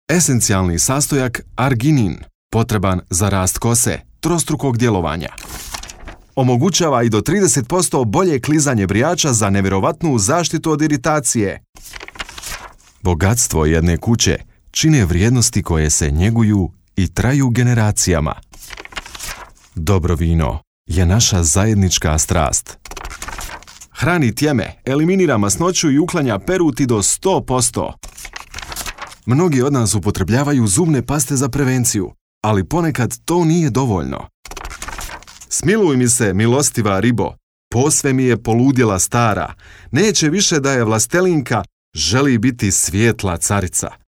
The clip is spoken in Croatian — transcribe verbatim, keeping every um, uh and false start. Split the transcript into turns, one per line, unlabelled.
Esencijalni sastojak arginin, potreban za rast kose, trostrukog djelovanja. Omogućava i do trideset posto bolje klizanje brijača za nevjerovatnu zaštitu od iritacije. Bogatstvo jedne kuće čine vrijednosti koje se njeguju i traju generacijama. Dobro vino je naša zajednička strast. Hrani tjeme, eliminira masnoću i uklanja peruti do sto posto. Mnogi od nas upotrebljavaju zubne paste za prevenciju, ali ponekad to nije dovoljno. Smiluj mi se, milostiva ribo, posve mi je poludjela stara, neće više da je vlastelinka, želi biti svijetla carica.